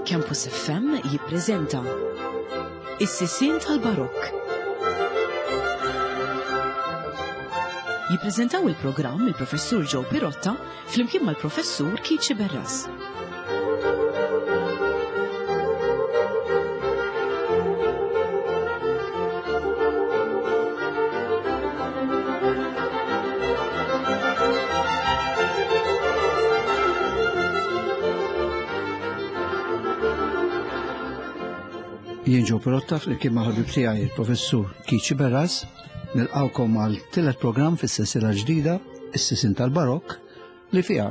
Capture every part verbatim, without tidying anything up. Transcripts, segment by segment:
Campus F M jippreżenta Is-Sisien tal-Barokk. Jippreżentaw il-programm il-Professur Joe Pirotta flimkien mal-Professur Keith Sciberras. Jien Joe Pirotta flimkien ma' ħabib tiegħi il-Professur Keith Sciberras nilqgħukom għal tielet programm fis-sensiela ġdida, Is-Sisien tal-Barokk, li fiha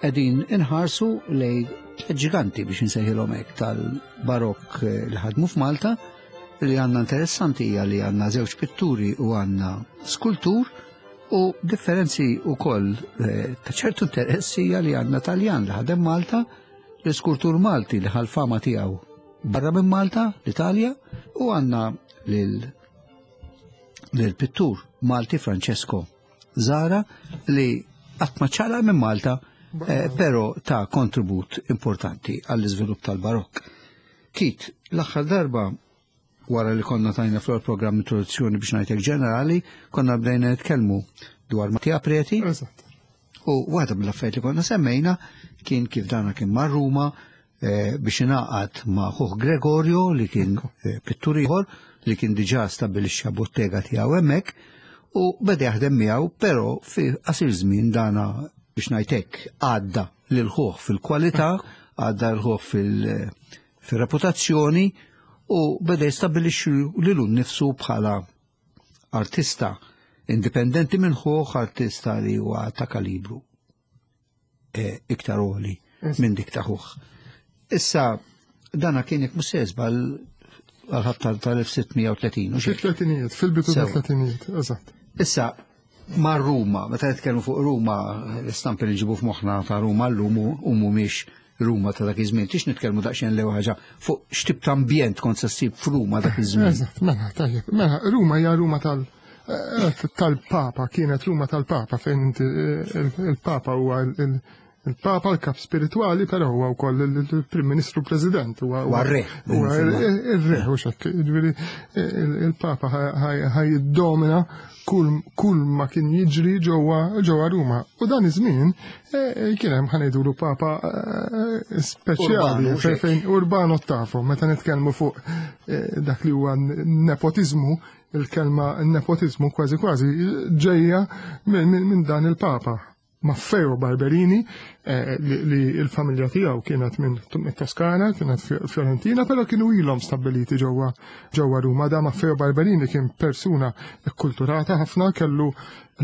qegħdin inħarsu lejn tliet ġiganti biex insejħilhom hekk tal-Barokk li ħadmu f'Malta. Li għandna interessanti hija li għandna żewġ pitturi u għandna skultur, u differenzi wkoll ta' ċertu interess hija li għandna Taljan li ħadem Malta, l-iskultur Malti li ħal fama tiegħu barra minn Malta, l-Italja, u għandna lil pittur Malti Francesco Zara li qatt ma ċala minn Malta, eh, però ta' kontribut importanti għall-iżvilupp tal-Barokk. Keith, l-aħħar darba wara li konna tajna fl-programm introduzzjoni biex ngħidlek ġenerali, konna bdejna nitkellmu dwar Mattia Preti. Eżatt. U waħda mill-affarijiet li konna semmejna kien kif dana kien mar Ruma biex ingħaqad ma' ħuh Gregorio li kien pittur ieħor li kien diġà stabbilixxa bottega tiegħu hemmhekk u beda jaħdem miegħu, però fi qasir żmien dana biex ngħidlek għadda lil ħuh fil-kwalità, għadda lil ħuh fil-reputazzjoni u beda jistabbilixxi lilu nnifsu bħala artista indipendenti minn ħuh, artista li huwa ta' kalibru iktar għoli minn dik ta' ħuh. Issa, dana kien jekk mhux se żball għal-ħabta tal-elf sitt mija u tletin, u xejn. Fil-tletinijiet, fil-bidu Sewa. tat-tletinijiet, eżatt. Issa, ma' Ruma, meta nitkellmu fuq Ruma, l-istampi li nġibu f'moħħna ta' Ruma llum u mhumiex Ruma ta' dak iż-żmien. Tix nitkellmu daqsxejn l ħaġa fuq x'tip ta' ambjent kont se ssib f'Ruma dak iż-żmien. Eżatt, mela, tajjeb. Mela, Ruma hija Ruma tal- eh, tal-Papa, kienet Ruma tal-Papa, fejn inti, eh, il-Papa huwa il-, il-Papa, l-kap spirituali, però huwa wkoll il-Prim Ministru President. Huwa Huwa r-re. Huwa ir-re, u xekk. Jiġifieri, il-Papa ħaj jiddomina kull, kull ma kien jiġri ġewwa, ġewwa Ruma. U dan iż-żmien, eh, kien hemm ħanejdulu Papa, eh, speċjali, Urbano, fejn, xekk. fejn Urbano Ottavo, meta nitkellmu fuq, eh, dak li huwa nepotizmu, il-kelma nepotizmu kważi kważi ġejja minn, minn, minn dan il-Papa. Maffeo Barberini, eh, li, li l-familja tiegħu kienet minn Toskana, kienet Fiorentina, però kienu ilhom stabbiliti ġewwa, ġewwa Ruma. Da Maffeo Barberini kien persuna kkulturata ħafna, kellu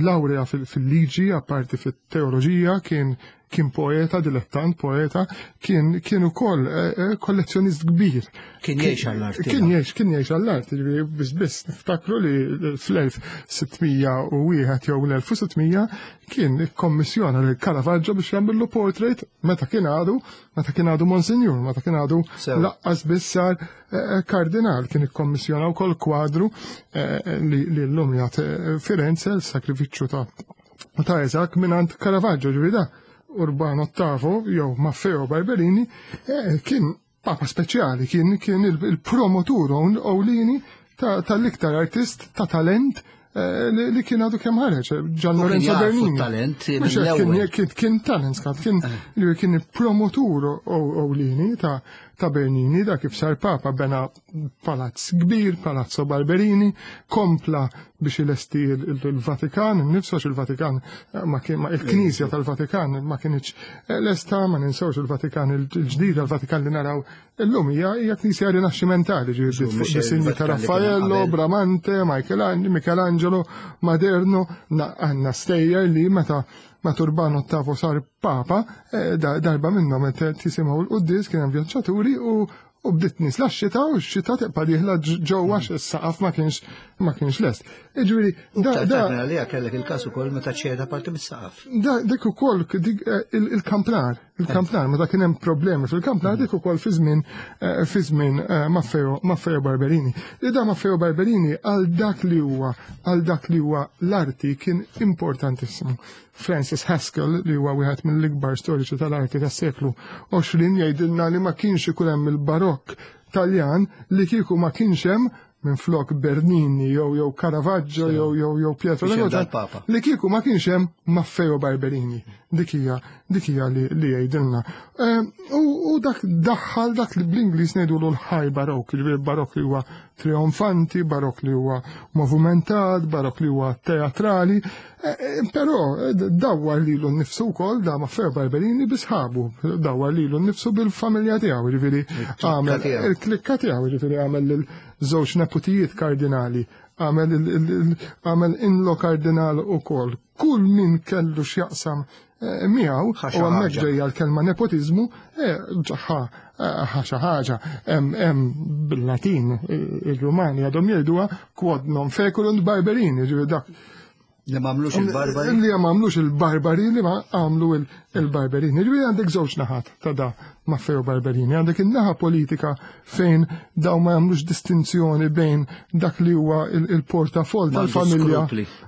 laurea fil-, fil-liġi, apparti fit-teoloġija, kien, kien poeta, dilettant poeta, kien, kien ukoll, eh, eh, kollezzjonist kbir. Kien jgħix għall-arti. Kien jgħix, kien jgħix għall-arti, ġifieri biss biss niftakru li fl-elf sitt mija u wieħed jew l-elf u sitt mija kien ikkommissjona lil Caravaggio biex jagħmillu portrait meta kien għadu, meta kien għadu Monsignor, meta kien għadu Sew. laqqas biss sar, eh, eh, kardinal, kien ikkommissjona wkoll kwadru, eh, li, li llum jagħti, eh, Firenze, l-sakrifiċċju ta', ta' Isaac mingħand Caravaggio, ġifieri da Urbano Ottavo jew Maffeo Barberini, eh, kien papa speċjali, kien, kien il-, il-promotur ewlieni ta-, tal-iktar artist ta' talent, eh, li, li kien għadu kemm ħareġ, Gian U kien Lorenzo jafu Bernini. t-talent Mhux hekk, kien mill-ewwel. kien, kien talent, skat, kien Eh. li kien il-promotur ewlieni ta', ta' Bernini, da kif sar papa bena palazz kbir, Palazzo Barberini, kompla biex ilesti il-, il-, il-Vatikan, innifsu għax il-Vatikan ma kien, ma il-Knisja tal-Vatikan ma kienx lesta, ma ninsewx il-Vatikan il-ġdida, il-Vatikan li naraw illum hija, hija Knisja rinaxximentali, ġifieri Żgur, fuq mhux disinji ta' il-Vatikan li kien Raffaello, qabel. Bramante, Michelan-, Michelangelo, Maderno, na-, għandna stejjer li meta meta Urbano Ottavo sar papa, eh, da-, darba minnhom meta tisimgħu l-quddies kien hemm vjaġġaturi u, u bdiet nies la x-xita u x-xita tibqa' dieħla ġ-, ġewwa għax is-saqaf ma kienx ma kienx lest. Ġifieri, da da għalija kellek il-każ ukoll meta ċeda parti mis-saqaf. Da dik ukoll il-kampnar, il-kampnar meta kien hemm problemi fil-kampnar dik ukoll fi żmien fi żmien Maffeo Maffeo Barberini. Li da Maffeo Barberini għal dak li huwa għal dak li huwa l-arti kien importantissimu. Francis Haskell, li huwa wieħed mill-ikbar storiċi tal-arti tas-seklu għoxrin, jgħidilna li ma kienx ikun hemm il-barokk Taljan li kieku ma kienx hemm minn flok Bernini jew jew Caravaggio jew jew jew Pietro Papa. Li kieku ma kienx hemm Maffeo Barberini. Dik hija dik hija li jgħidilna. U dak daħħal dak li bl-Ingliż ngħidulu l-high barokk, jiġifieri barokk li huwa trionfanti, barokk li huwa movumentat, barokk li huwa teatrali, però dawwar lilu nnifsu wkoll da Maffeo Barberini bi sħabu, dawwar lilu nnifsu bil-familja tiegħu, jiġifieri għamel il-klikka tiegħu, jiġifieri għamel lil żewġ neputijiet kardinali, għamel għamel inlo kardinal ukoll. Kull min kellu x'jaqsam miegħu, u hemmhekk ġejja l-kelma nepotiżmu, ġaħa xi ħaġa hemm bil-Latin ir-Rumani għadhom jgħiduha quod non feculunt Barberini, ġifieri dak li m'għamlux il-barbari. Li m'għamlux il-barbari li ma għamlu il-Barberini. Ġifieri għandek żewġ naħat ta' da Maffeo Barberini. Għandek in-naħa politika fejn daw ma jagħmlux distinzjoni bejn dak li huwa il-portafol tal-familja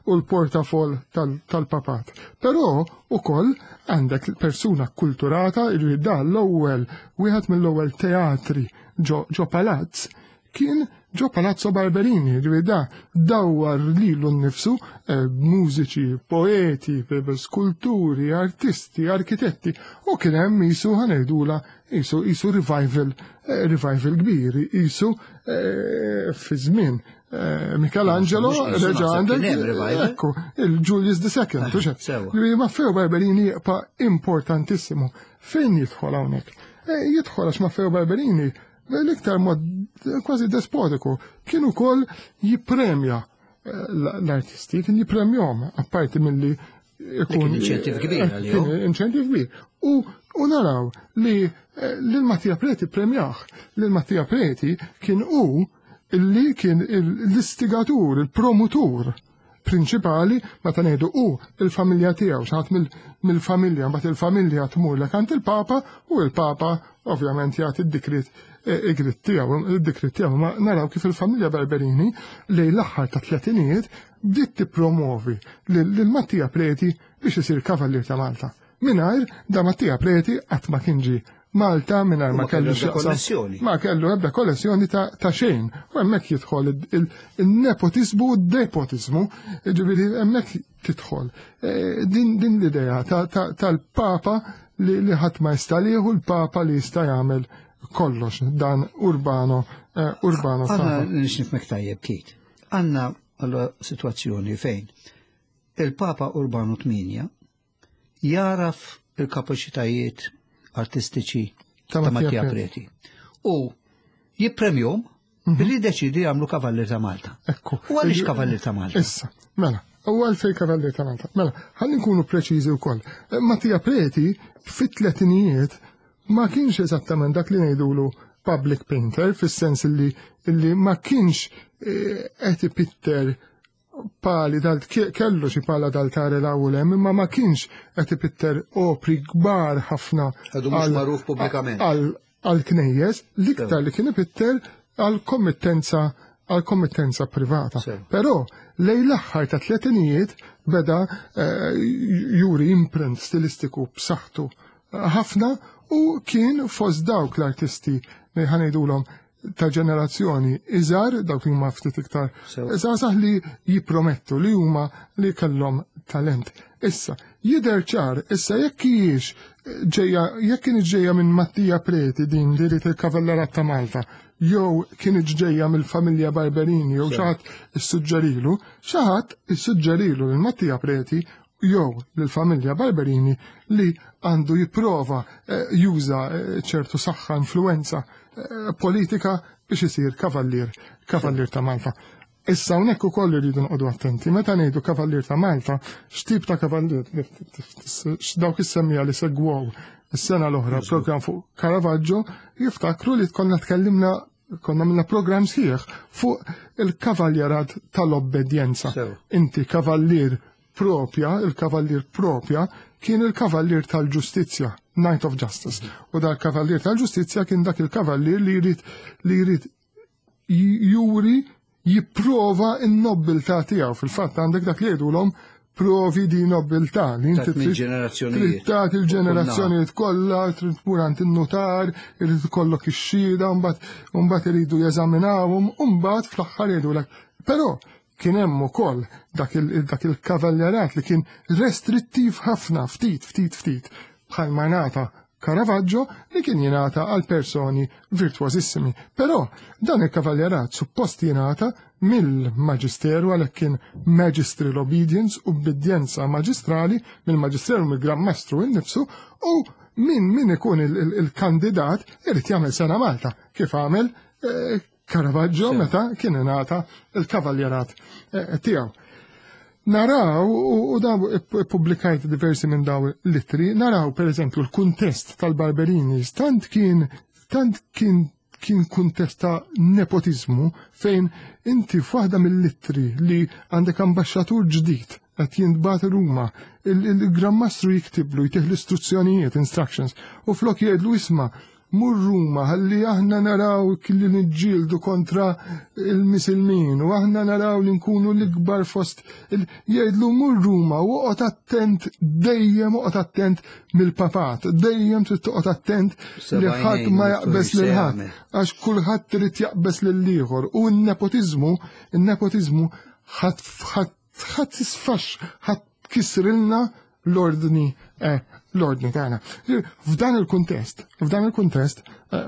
u l-portafol tal-papat. Però ukoll għandek persuna kulturata li da l-ewwel wieħed mill-ewwel teatri ġo palazz kien ġo Palazzo Barberini, ġifieri da dawwar lilu nnifsu mużiċi, poeti, skulturi, artisti, arkitetti, u kien hemm isu ħanejdula isu isu revival, revival kbir, isu fi żmien Michelangelo reġa' għandek ekku il-Julius the Second, ġifieri Maffeo Barberini jibqa' importantissimu. Fejn jidħol hawnhekk? Jidħol għax Maffeo Barberini l-iktar mod kważi despotiku kien ukoll jippremja l-artisti, kien jippremjahom apparti milli ikun inċentiv kbir għalihom. Inċentiv kbir. U naraw li lil Mattia Preti premjah. Lil Mattia Preti kien hu li kien l-istigatur, il-promutur prinċipali, meta ngħidu hu il-familja tiegħu, xi ħadd mill-familja, mbagħad il-familja tmur lek għand il-Papa u l-Papa ovvjament jagħti d-dikrit id-dikrit tiegħu, id-dikrit tiegħu, ma naraw kif il-familja Barberini lejn l-aħħar ta' tletinijiet bdiet tippromovi lil Mattia Preti biex isir kavallier ta' Malta. Mingħajr da Mattia Preti qatt ma kien ġie Malta, mingħajr ma kellu konnessjoni. Ma kellu ebda konnessjoni ta' xejn. U hemmhekk jidħol il-nepotiżmu u d-depotizmu, ġifieri hemmhekk tidħol. Din l-idea tal-Papa li ħadd ma jista' lieħu, l-Papa li jista' jagħmel kollox, dan Urbano Urbano. Għanna nixnifmek tajjeb, Kit. Għanna għalla situazzjoni fejn il-Papa Urbano tminja jaraf il-kapaċitajiet artistiċi ta' Mattia Preti u jippremjom billi deċidi jagħmlu Kavallier ta' Malta. Ekku. U għaliex Kavallier ta' Malta? Issa, mela, u għalfejn Kavallier ta' Malta. Mela, ħalli nkunu preċiżi wkoll. Mattia Preti fit-tletinijiet ma kienx eżattament dak li ngħidulu public painter, fis-sens li illi ma kienx qed ipitter pali dal kellu xi pala dal-tare l-ewwel hemm, imma ma kienx qed ipitter opri kbar ħafna għadu mhux magħruf pubblikament għal knejjes, l-iktar li kien ipitter għal kommittenza għal kommittenza privata. Però lejn l-aħħar ta' tletinijiet beda juri imprint stilistiku b'saħħtu ħafna u kien fost dawk l-artisti li ħanejdulhom ta' ġenerazzjoni iżgħar, dawk li huma ftit iktar żgħażagħ li jippromettu li huma li kellhom talent. Issa, jidher ċar, issa jekk hijiex ġejja, jekk kienet ġejja minn Mattia Preti din li rid il-Kavallerat ta' Malta, jew kienet ġejja mill-familja Barberini, jew xi ħadd issuġġerilu, xi ħadd issuġġerilu lil Mattia Preti jew lill-familja Barberini li għandu jipprova juża ċertu saħħa, influenza politika biex isir kavallier, kavallier ta' Malta. Issa hawnhekk ukoll irridu noqogħdu attenti. Meta ngħidu kavallier ta' Malta, x'tip ta' kavallier? Dawk is-semmija li segwew is-sena l-oħra program fuq Caravaggio jiftakru li konna tkellimna konna minna program sħiħ fuq il-kavaljerat tal-obbedjenza. Inti kavallier propja, il-kavallier propja, kien il-kavallier tal-ġustizzja, Knight of Justice. U dal-kavallier tal-ġustizzja kien dak il-kavallier li jrid li jrid juri jipprova n-nobbiltà tiegħu. Fil-fatt għandek dak li jgħidulhom provi di nobiltà li inti trid tagħti il-ġenerazzjonijiet kollha, trid tmur għand in-notar, irid ikollok ix-xhieda, mbagħad mbagħad iridu jeżaminawhom, u mbagħad fl-aħħar jgħidulek. Però kien hemm ukoll dak il-kavallerat li kien restrittiv ħafna, ftit, ftit, ftit, bħalma ngħata Caravaggio li kien jingħata għal personi virtuosissimi. Però dan il-kavallerat suppost jingħata mill-maġisteru, għalhekk kien magistral obedience, ubbidjenza maġistrali, mill-maġisteru, mill-Gran Mastru innifsu, u min min ikun il-kandidat irid jagħmel sena Malta, kif għamel Caravaggio meta kien ingħata il-kavaljerat tiegħu. Naraw, u daw pubblikajt diversi minn daw l-ittri, naraw per eżempju l-kuntest tal-Barberini, tant kien tant kien kien kuntest ta' nepotizmu fejn inti f'waħda mill-ittri li għandek ambaxxatur ġdid qed jintbagħat Ruma, il-Gran Mastru jiktiblu, jtih l-istruzzjonijiet, instructions, u flok jgħidlu isma' mur Ruma ħalli aħna naraw li niġġieldu kontra il-Misilmin u aħna naraw li nkunu l-ikbar fost jgħidlu mur Ruma u oqgħod attent dejjem, oqgħod attent mill-papat, dejjem trid toqgħod attent li ħadd ma jaqbes lil ħadd, għax kulħadd trid jaqbes lil ieħor. U n-nepotiżmu, in-nepotiżmu ħadd ħadd tisfax, ħadd kisrilna l-ordni l-ordni tagħna. F'dan il-kuntest, f'dan il-kuntest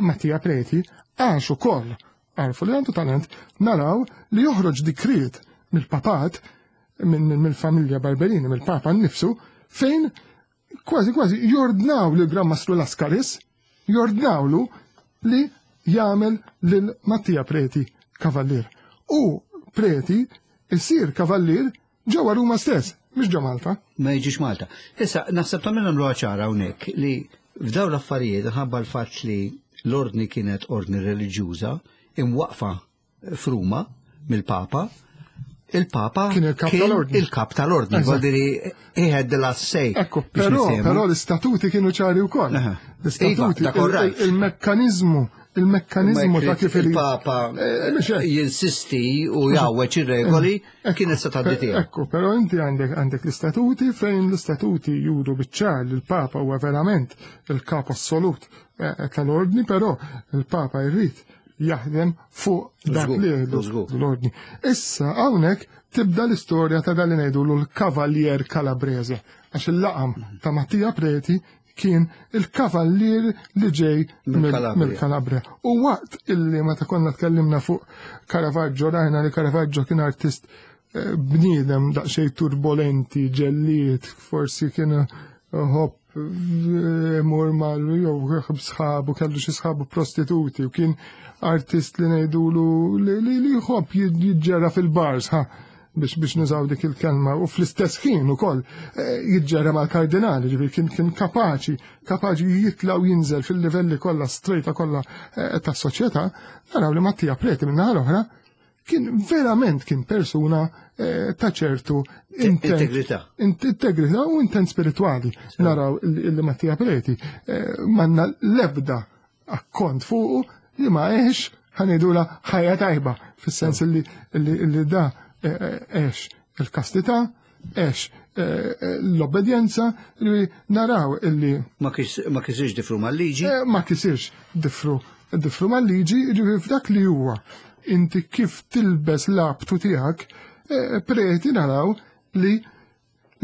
Mattia Preti għax ukoll għarfu li għandu talent, naraw li joħroġ dikriet mill-papat, mill-familja Barberini, mill-papa nnifsu, fejn kważi kważi jordnaw lil Gran Mastru Lascaris, jordnawlu li jagħmel lil Mattia Preti kavallier. U Preti isir kavallier ġewwa Ruma stess, mhux ġo Malta. Ma jiġix Malta. Issa, naħseb tagħmel nagħmluha ċara hawnhekk li f'dawn l-affarijiet ħabba l-fatt li l-ordni kienet ordni reliġjuża imwaqfa f'Ruma mill-Papa, il-Papa kien il-kap tal-ordni. Il-kap tal-ordni, vuol he had the last say. Ekku, però, però l-istatuti kienu ċari wkoll. L-istatuti, il-mekkaniżmu il-mekkanizmu ta' kif il-Papa jinsisti u jgħawweġ ir-regoli kien issa tgħaddi tiegħu. Ekku, però inti għandek għandek l-istatuti fejn l-istatuti juru biċ-ċar li l-Papa huwa verament il-kap assolut tal-ordni, però il-Papa jrid jaħdem fuq dak li l-ordni. Issa hawnhekk tibda l-istorja ta' dan li ngħidu l-Kavallier Calabrese, għax il-laqam ta' Mattia Preti kien il-kavallier li ġej mill-Calabria. U waqt illi meta konna tkellimna fuq Caravaggio, rajna li Caravaggio kien artist bniedem daqsxejn turbolenti, ġelliet, forsi kien hop mur mal jew sħabu, kellu xi sħabu prostituti, u kien artist li ngħidulu li jħobb jiġġera fil-bars, ha, biex biex nużaw dik il-kelma, u fl-istess ħin ukoll jiġġera mal-kardinali, ġifieri kien kien kapaċi kapaċi jitla' u jinżel fil-livelli kollha strejta kollha tas-soċjetà. Naraw li Mattia Preti min-naħa l-oħra kien verament kien persuna ta' ċertu integrità, integrità u intent spiritwali. Naraw li Mattia Preti m'għandna l-ebda akkont fuqu li ma għex ħanidula ħajja tajba, fis-sens li li da għex il-kastità, għex l-obbedjenza, li naraw illi ma kisirx difru mal-liġi. Ma kisirx difru difru mal-liġi, ġifieri f'dak li huwa inti kif tilbes l-abtu tiegħek, Preti naraw li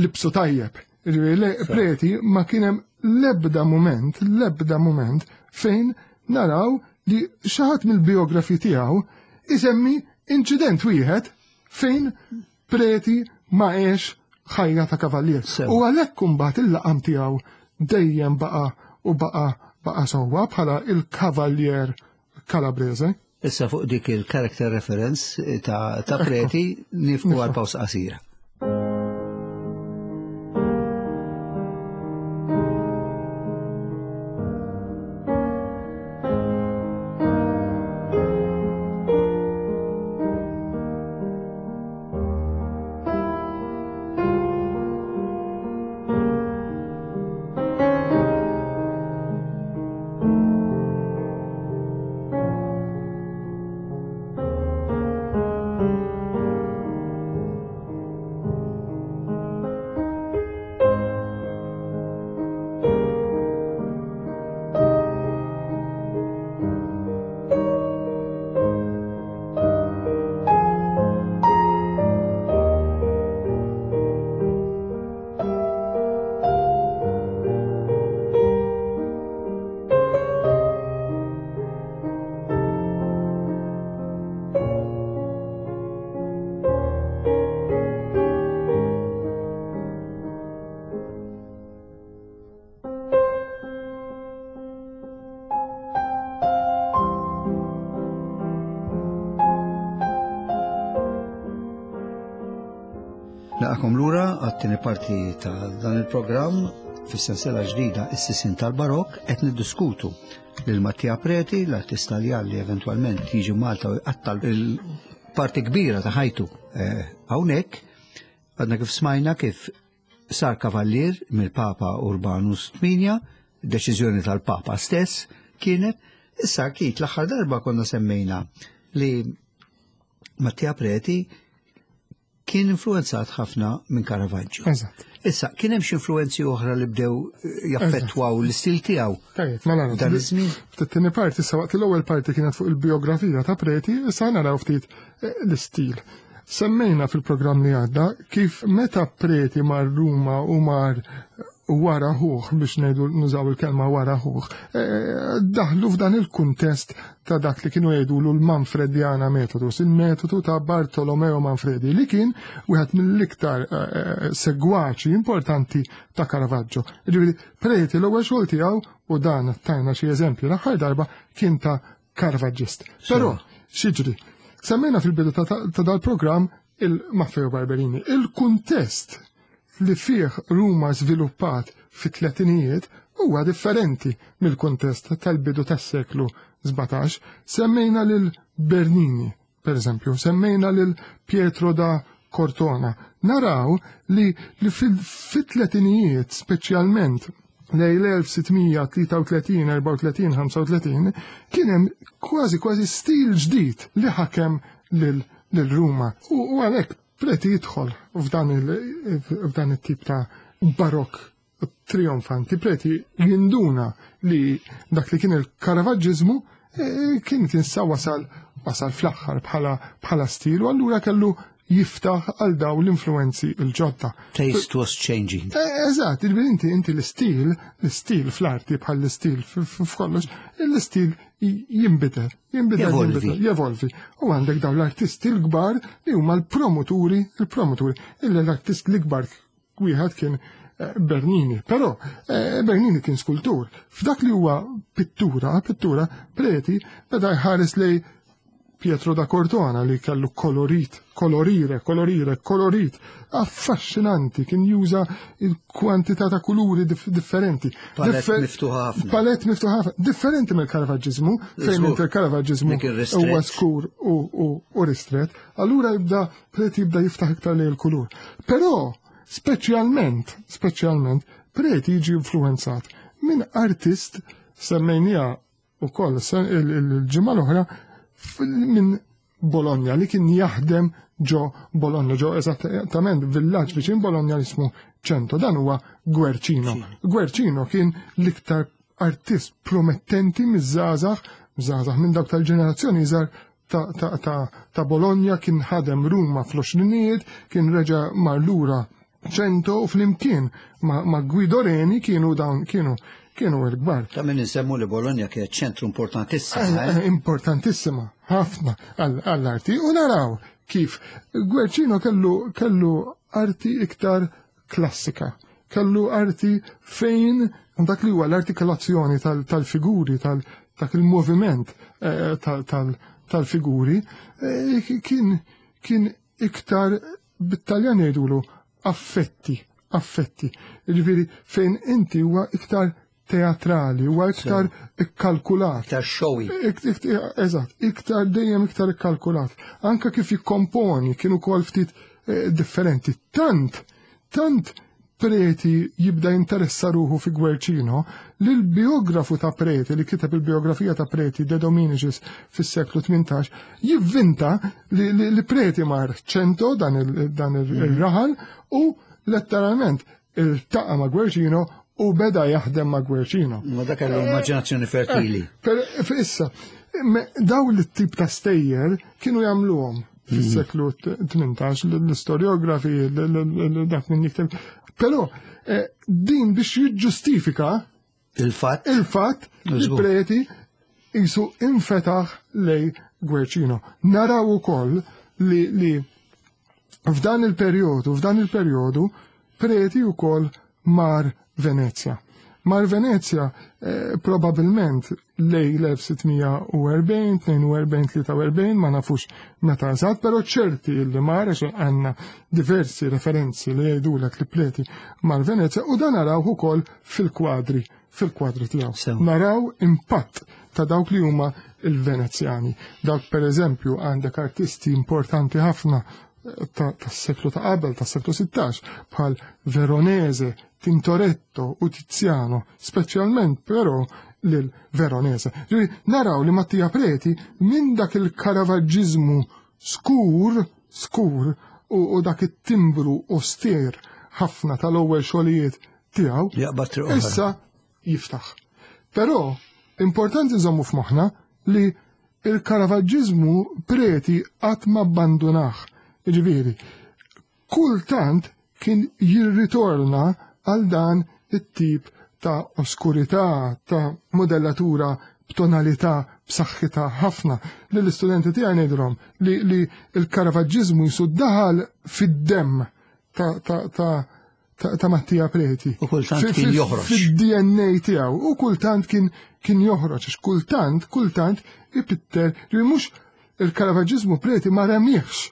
libsu tajjeb. Ġifieri Preti ma kien hemm l-ebda mument, l-ebda mument fejn naraw li xi ħadd mill-biografi tiegħu isemmi inċident wieħed fejn Preti ma għex ħajja ta' kavallier. U għalhekk imbagħad il-laqam tiegħu dejjem baqa' u baqa' baqa' sewwa bħala il-Kavallier Calabrese. Issa fuq dik il-character reference ta', ta Preti nifqu għal pawsa qasira. Ilqagħkom lura għat-tieni parti ta' dan il-programm fis-sensiela ġdida Is-Sisien tal-Barokk. Qed niddiskutu lil Mattia Preti, l-artist Taljan li eventwalment jiġi Malta u jqatta' il-parti kbira ta' ħajtu eh, hawnhekk. Għadna kif smajna kif sar kavallier mill-Papa Urbanus tmienja, deċiżjoni tal-Papa stess kienet. Issa Keith, l-aħħar darba konna semmejna li Mattia Preti kien influenzat ħafna minn Caravaggio. Eżatt. Issa, kien hemm xi influenzi oħra li bdew eh, jaffettwaw l-istil tiegħu Tajjeb, mela dan iż-żmien? Fit-tieni parti, issa waqt l-ewwel parti kienet fuq il-biografija ta' Preti, issa naraw ftit eh, l-istil. Semmejna fil-programm li għadda kif meta Preti mar Ruma u mar wara ħuh, biex ngħidu nużaw il-kelma wara ħuh, eh, daħlu f'dan il-kuntest ta' dak li kienu jgħidulu l-Manfrediana Metodus, il-metodu ta' Bartolomeo Manfredi, li kien wieħed mill-iktar eh, eh, segwaċi importanti ta' Caravaggio. Ġifieri, Preti l-ewwel xogħol tiegħu, u dan tajna xi eżempju l-aħħar darba, kien ta' Caravaggist. Però, x'jiġri? Semmejna fil-bidu ta' ta' dal-programm il-Maffeo Barberini. Il-kuntest li fih Ruma żviluppat fit-tletinijiet huwa differenti mill-kuntest tal-bidu tas-seklu sbatax. Semmejna lil Bernini, per eżempju, semmejna lil Pietro da Cortona. Naraw li, li fit-tletinijiet, speċjalment lejn l-elf sitt mija tlieta u tletin, erbgħa u tletin, ħamsa u tletin, kien hemm kważi kważi stil ġdid li ħakem lil lil Ruma. U, u għalhekk Preti jidħol f'dan il- f'dan it-tip ta' barok trionfanti. Preti jinduna li dak li kien il-Caravaggismu eh, kien kien sa wasal wasal fl-aħħar bħala bħala stil u allura kellu jiftaħ għal daw l-influenzi il-ġodda. Taste was changing. Eh, Eżatt, il inti inti l-istil, l-istil fl-arti bħal l-istil f'kollox, l-istil jinbidel, jinbidel, Jevolvi. jinbidel, jevolvi. U għandek daw l-artisti l-kbar li huma l-promoturi, il-promoturi, illa l-artist l-kbar wieħed kien eh, Bernini, però eh, Bernini kien skultur. F'dak li huwa pittura, pittura, Preti beda jħares lej Pietro da Cortona li kellu kolorit, kolorire, kolorire, kolorit, affaxxinanti, kien juża il-kwantità ta' kuluri dif differenti. Palett Differ- miftuħa ħafna. Palett miftuħa ħafna, differenti mill-Caravaggismu, fejn Żgur. inti il-Caravaggismu Dik ir-ristret. huwa skur u, u, u ristret, allura jibda Preti jibda jiftaħ iktar lejn il-kulur. Però, speċjalment, speċjalment, Preti jiġi influenzat minn artist semmejnija u koll il-ġimgħa l-oħra f- minn Bologna li kien jaħdem ġo Bologna, ġo eżattament villaġġ viċin Bologna li ismu Cento. Dan huwa Guercino. Guercino kien l-iktar artist promettenti miż-żgħażagħ, żgħażagħ minn dawk tal-ġenerazzjoni iżgħar ta', ta, ta, ta' Bologna, kien ħadem Ruma fl-għoxrinijiet, kien reġa' mar lura Cento u flimkien ma, ma Guido Reni kienu dawn kienu kienu l-kbar. Ta' min insemmu li Bologna kienet ċentru importantissima. Eh, eh? Importantissima, ħafna għall- għall-arti. U naraw kif Guercino kellu, kellu arti iktar klassika, kellu arti fejn dak li huwa l-artikolazzjoni tal- tal-figuri, tal dak il-moviment eh, tal- tal- tal-figuri, eh, kien kien iktar bit-Taljan jgħidulu affetti, affetti. Ġifieri fejn inti huwa iktar teatrali, huwa iktar ikkalkulat. Iktar showy. Ik- ik- Eżatt, iktar dejjem iktar ikkalkulat. Anka kif jikkomponi kienu kol ftit eh, differenti. Tant, tant Preti jibda jinteressa ruħu fi Guercino li l-biografu ta' Preti, li kiteb il-biografija ta' Preti, De Dominicis, fis-seklu tmintax, jivvinta li, li, li Preti mar Cento, dan il- dan il-raħal, u letteralment iltaqa' ma' Guercino u beda jaħdem ma' Guercino. Ma dak kellu immaġinazzjoni fertili. Per issa, me- daw l-tip ta' stejjer kienu jagħmluhom fis-seklu tmintax, l-istoriografi, l- l- l- dak min jikteb. Però eh, din biex jiġġustifika Il-fatt il-fatt li Żgur. Preti jisu infetaħ lej Guercino. Naraw ukoll li, li f'dan il-perjodu, f'dan il-perjodu, Preti ukoll mar Venezia. Mar Venezja eh, probabilment lej l-elf sitt mija u erbgħin, tnejn u erbgħin, tlieta u erbgħin, ma nafux meta eżatt, però ċerti li mar, għax għandna diversi referenzi li jgħidulek li Preti mar Venezja, u dan naraw ukoll fil-kwadri, fil-kwadri tiegħu. Sew. Naraw impatt ta' dawk li huma il-Venezjani. Dawk, per eżempju, għandek artisti importanti ħafna tas-seklu ta' qabel, tas-seklu sittax, bħal Veronese, Tintoretto u Tiziano, speċjalment però lil Veronese. Ġifieri naraw li Mattia Preti minn dak il-Caravaggismu skur, skur u, u dak it-timbru oster ħafna tal-ewwel xogħlijiet tiegħu, Jaqbad triq oħra. issa jiftaħ. Però importanti nżommu f'moħħna li il-Caravaggismu Preti qatt ma abbandunah. Ġifieri, kultant kien jirritorna għal dan it-tip ta' oskurità, ta' modellatura b'tonalità b'saħħitha ħafna. Lill-istudenti tiegħi ngħidilhom li, li il-Caravaggismu jisu daħal fid-demm ta' ta' ta' ta' ta' Mattia Preti. U kultant Fi- kien fi- joħroġ. Fid-D N A tiegħu u kultant kien kien joħroġ, għax kultant, kultant ipitter li mhux il-Caravaggismu Preti ma remiex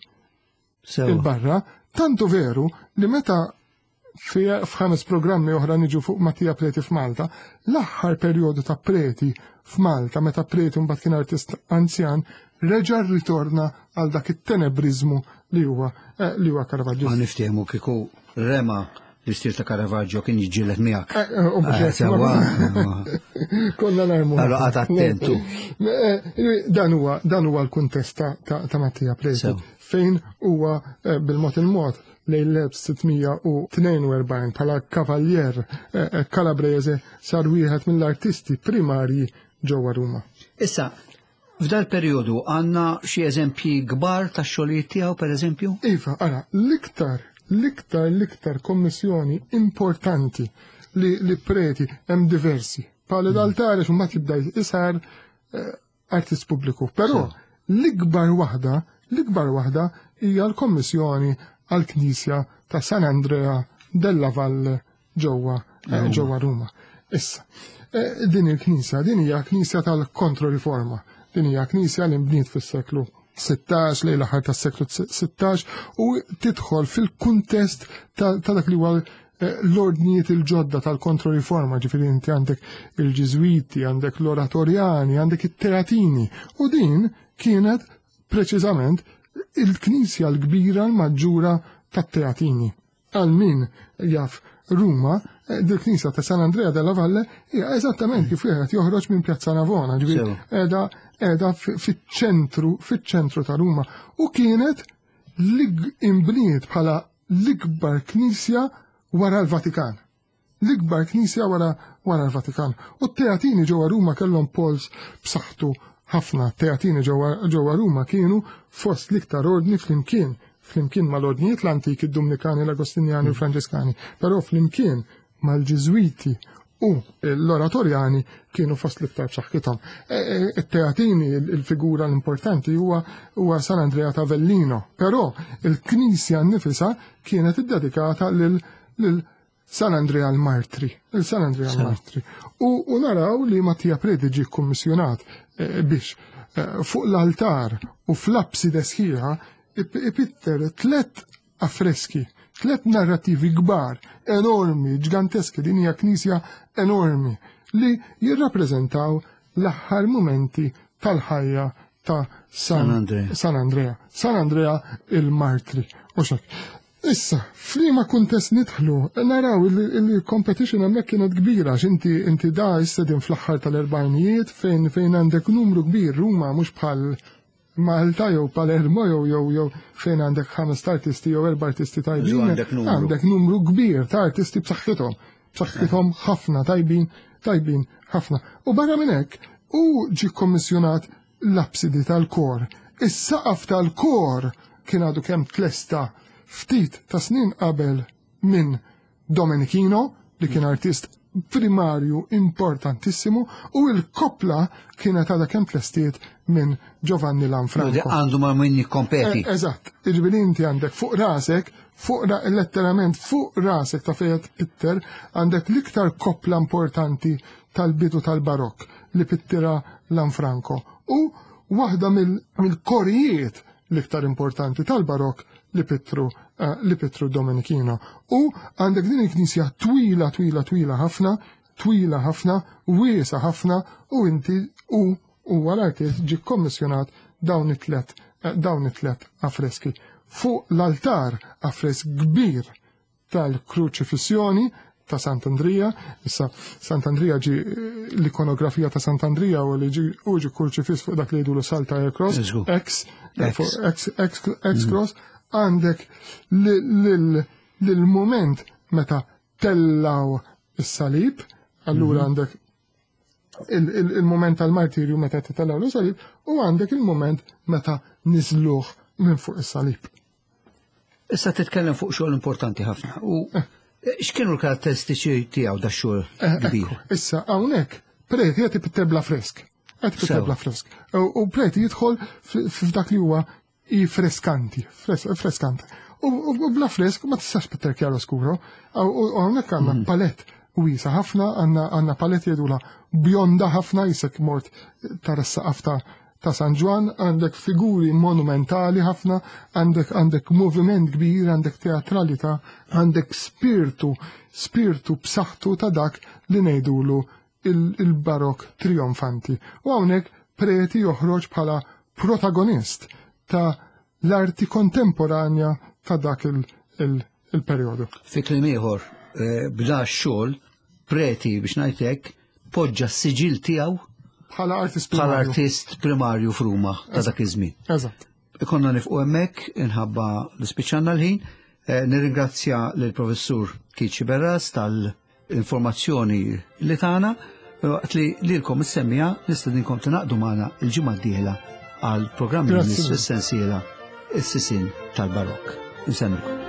Sewa. il-barra, tantu veru li meta fi f'ħames programmi oħra niġu fuq Mattia Preti f'Malta, l-aħħar perjodu ta' Preti f'Malta, meta Preti mbagħad kien artist anzjan, reġa' ritorna għal dak it-tenebrizmu li huwa eh, li huwa Ma Caravaggio. niftehmu kieku rema l-istil ta' Caravaggio kien jiġġieled miegħek. Eh, eh, u mhux Eh, hekk, Sewa. Konna narmu. Allora qagħad attentu. Eh, eh, Dan huwa dan huwa l-kuntest ta' ta' ta' Mattia Preti Sew. fejn huwa eh, bil-mod il-mod lejn l-elf sitt mija u tnejn u erbgħin bħala kavallier eh, eh, Calabrese sar wieħed mill-artisti primarji ġewwa Ruma. Issa, f'dal periodu għandna xi eżempji kbar ta' xogħlijiet tiegħu, per eżempju? Iva, ara, l-iktar, l-iktar, l-iktar kommissjoni importanti li, li Preti, hemm diversi. Pale d'altare, xumbat jibda jisar eh, artist pubbliku. Però l-ikbar waħda, l-ikbar waħda hija l-kommissjoni għal-Knisja ta' San Andrea della Valle ġewwa eh, ġewwa Ruma. Issa, eh, din il-knisja, din hija knisja tal-Kontroriforma. Din hija knisja li nbniet fis-seklu sittax, lejn l-aħħar tas-seklu sittax, u tidħol fil-kuntest ta' ta' dak li huwa eh, l-ordnijiet il-ġodda tal-Kontroriforma, ġifieri inti għandek il-Ġiżwiti, għandek l-Oratorjani, għandek it-Teatini. U din kienet preċiżament il-knisja l-kbira l-maġġura tat-Teatini. Għal min jaf Ruma, eh, dil-knisja ta' San Andrea della Valle hija eżattament kif wieħed joħroġ minn Pjazza Navona, ġifieri Sew. qiegħda qiegħda fiċ-ċentru fiċ-ċentru ta' Ruma u kienet l imbniet bħala l-ikbar knisja wara l-Vatikan. L-ikbar knisja wara wara l-Vatikan. U t-Teatini ġewwa Ruma kellhom pols b'saħħtu ħafna. Teatini ġewwa ġewwa Ruma kienu fost l-iktar ordni flimkien flimkien mal-ordnijiet l-antiki, id-Dominikani, l-Agostinjani u l-Franġiskani, però flimkien mal-Ġiżwiti u l-Oratorjani kienu fost l-iktar b'saħħithom. E, e, It-Teatini, il-figura l-importanti huwa huwa San Andrea ta' Avellino, però il-Knisja nnifisha kienet iddedikata lil lil San Andrea l-Martri, il San Andrea l-Martri. U, u naraw li Mattia Preti ġie kkummissjonat eh, biex eh, fuq l-altar u fl-apside sħiħa ip- ipitter tlet affreski, tlet narrativi kbar, enormi, ġganteski, din hija knisja enormi, li jirrappreżentaw l-aħħar momenti tal-ħajja ta' San, San Andrea. San Andrea. San Andrea il-Martri. U xek. Issa, f'liema kuntest nidħlu, naraw il-competition hemmhekk kienet kbira, għax inti inti da issa din fl-aħħar tal-erbgħinijiet fejn fejn għandek numru kbir. Ruma mhux bħal Malta jew Palermo jew jew jew fejn għandek ħames artisti jew erba' artisti tajbin. Għandek numru. Għandek numru kbir ta' artisti b'saħħithom, b'saħħithom ħafna, tajbin, tajbin ħafna. U barra minn hekk, u ġi kommissjonat l-apsidi tal-kor. Is-saqaf tal-kor kien għadu kemm tlesta ftit ta' snin qabel minn Domenichino, li kien artist primarju importantissimu, u l-koppla kienet għadha kemm tlestiet minn Giovanni Lanfranco. Għandu ma' min jikkompeti. Eżatt, jiġifieri inti għandek fuq rasek, fuq letteralment fuq rasek ta' fejn pitter, għandek l-iktar koppla importanti tal-bidu tal-barokk li pittira Lanfranco. U waħda mill-korijiet l-iktar importanti tal-barokk li pittru li pittru Domenichino. U għandek din il-knisja twila, twila, twila ħafna, twila ħafna, wiesa ħafna, u inti u huwa l-artist ġie kommissjonat dawn it-tlet dawn it-tlet affreski. Fuq l-altar affresk kbir tal-kruċifissjoni ta' Sant'Andrija, issa Sant'Andrija ġi l-ikonografija ta' Sant'Andrija u li ġi u ġi kruċifiss fuq dak li jgħidulu Saltire Cross, X, X, X, X Cross, għandek lil-moment meta tellaw is-salib, allura għandek il-moment tal-martirju meta tellaw is-salib, u għandek il-moment meta niżluh minn fuq is-salib. Issa titkellem fuq xogħol importanti ħafna. U x'kienu l-karatteristiċi tiegħu da xogħol kbir? Issa hawnhekk Preti qed ipitter bla fresk. Qed ipitter bla fresk. U Preti jidħol f'dak li huwa i freskanti, freskanti. U bla fresk ma tistax pitter chiaroscuro. U hawnhekk għandna palett wiesa ħafna, għandna palett jgħidula bjonda ħafna, jisek mort tara s-saqaf ta' San Ġwann, għandek figuri monumentali ħafna, għandek għandek moviment kbir, għandek teatralità, għandek spirtu, spirtu b'saħħtu ta' dak li ngħidulu il-barok trionfanti. U hawnhekk Preti joħroġ bħala protagonist ta' l-arti kontemporanja ta' dak il-perjodu. Fi kliem ieħor, b'da x-xogħol Preti biex ngħidlek poġġa s-siġil tiegħu bħala artist bħala primarju. artist primarju f'Ruma ta' dak iż-żmien. Eżatt. Ikonna nifqu hemmhekk inħabba li spiċċanna l-ħin. Nirringrazzja lill-Professur Keith Sciberras tal-informazzjoni li tagħna, waqt li lilkom is-semmija nistedinkom tingħaqdu magħna l-ġimgħa d-dieħla għal programm Grazzi. fis-sensiela Is-Sisien tal-Barokk. Insemmilkom.